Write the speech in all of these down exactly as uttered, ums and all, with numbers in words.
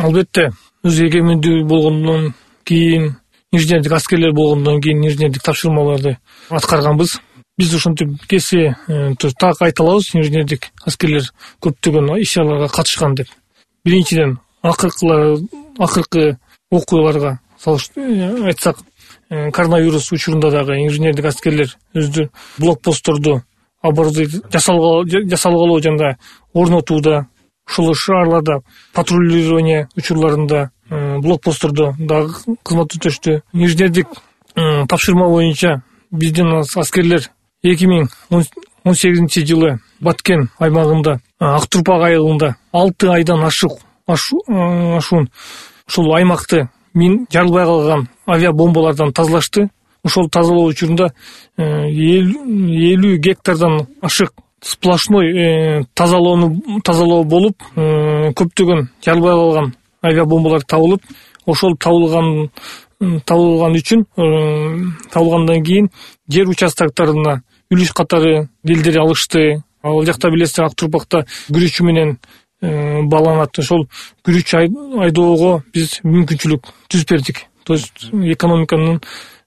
Албетте, өз эгемендүү болгондон кийин, инженердик аскерлер болгондон кийин инженердик тапшырмаларды аткарганбыз. Биз ошентип кесе так айта алабыз, инженердик аскерлер көптөгөн иш-чараларга катышкан деп. Биринчиден, акыркы акыркы окуяларга айтсак, коронавирус учурунда дагы инженердик аскерлер өздөрү блокпостторду жасалгалоо жана орнотууда, ушул шаарларда патрулирование учурларында блокпосттордо дагы кызмат өтөштү. Инженердик тапшырма боюнча биздин аскерлер эки миң он сегизинчи жылы Баткен аймагында, Актурпак айылында алты айдан ашык ашуун ушул аймакты мин жарылбай калган авиабомбалардан тазалашты. Ошол тазалоо учурунда элүү гектардан ашык сплошной тазалоону тазалоо болуп, көптөгөн жарылбай калган авиабомбалар табылып, ошол табылган табылган үчүн табылгандан кийин жер участоктарына үлүш катары делдер алышты. Ал жакта билесиздер, Актурпакта күрүчү менен баланат. Ошол күрүч айдоого биз мүмкүнчүлүк түзүп бердик. То есть экономиканын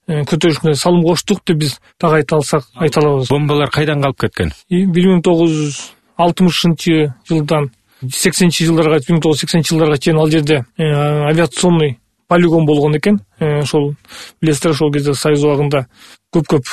көтөрүшүнө салым коштук деп биз так айта алсак айта алабыз. Бомбалар кайдан калып кеткен? бир миң тогуз жүз алтымышынчы жылдан сексенинчи жылдарга, бир миң тогуз жүз сексенинчи жылдарга чейин ал жерде авиационный полигон болгон экен. Ошол билесиздер, ошол кезде Союз убагында көп-көп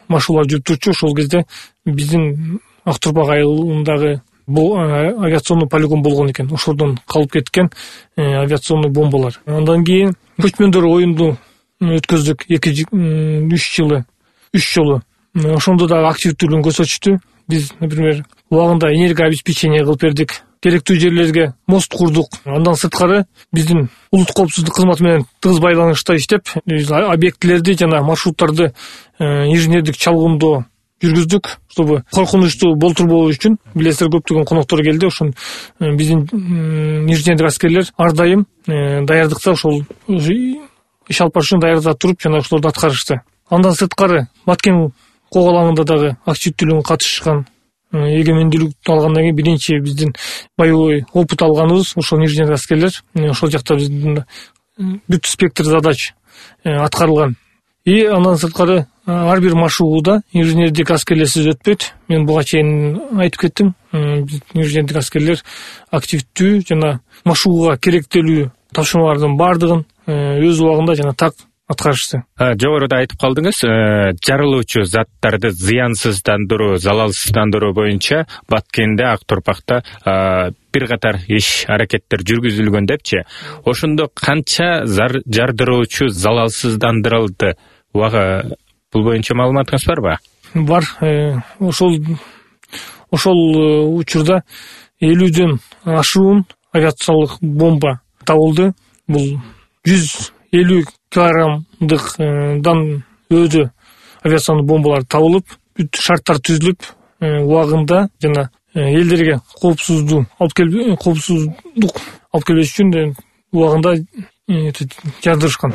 машуулар жүрүп турчу. Ошол кезде биздин Актурпак айылындагы бул авиационный полигон болгон экен. Ошодон калып кеткен авиационный бомбалар. Андан кийин көчмөндөр оюнду өткөздүк эки үч жылы үч жолу. Ошондо дагы активдүүлүгүн көрсөтүштү. Биз, например, убагында энергообеспечение кылып бердик. Керектүү жерлерге мост курдук. Андан сырткары биздин улуттук коопсуздук кызматы менен тыгыз байланышта иштеп, объектилерди жана маршруттарды инженердик чалгындоо жүргүздүк, чтобы коркунучтуу болтурбоо үчүн. Билесиздер, көптөгөн коноктор келди. Ошон биздин инженердик аскерлер ар дайым даярдыкта, ошол иш алып барышын даярда туруп, жана ошолорду аткарышты. Андан сырткары Баткен коголаңында дагы активдүүлүгүн катышкан. Эгемендүүлүктү алгандан кийин биринчи биздин боевой опыт алганыбыз ошол инженердик аскерлер. Ошол жакта биздин бүт спектр задач аткарылган. И андан сырткары ар бир машыгууда инженердик аскерлерсиз өтпөйт. Мен буга чейин айтып кеттим. Инженердик аскерлер активдүү жана машыгууга керектелүү тапшырмалардын баардыгын өз убагында жана так аткарышты. Жогоруда айтып калдыңыз, жарылуучу заттарды зыянсыздандыруу, залалсыздандыруу боюнча Баткенде, Актурпакта бир катар иш аракеттер жүргүзүлгөн депчи. Ошондо канча жардыруучу залалсыздандырылды? Убага бул боюнча маалыматыңыз барбы? Бар. Ошол ошол учурда элүүдөн ашуун авиациялык бомба табылды. Бул жүз элүү килограммдыктан өзү авиационный бомбалар табылып, бүт шарттар түзүлүп, убагында жана элдерге коопсуздук алып келип, коопсуздук алып келбеш үчүн убагында жардырышкан.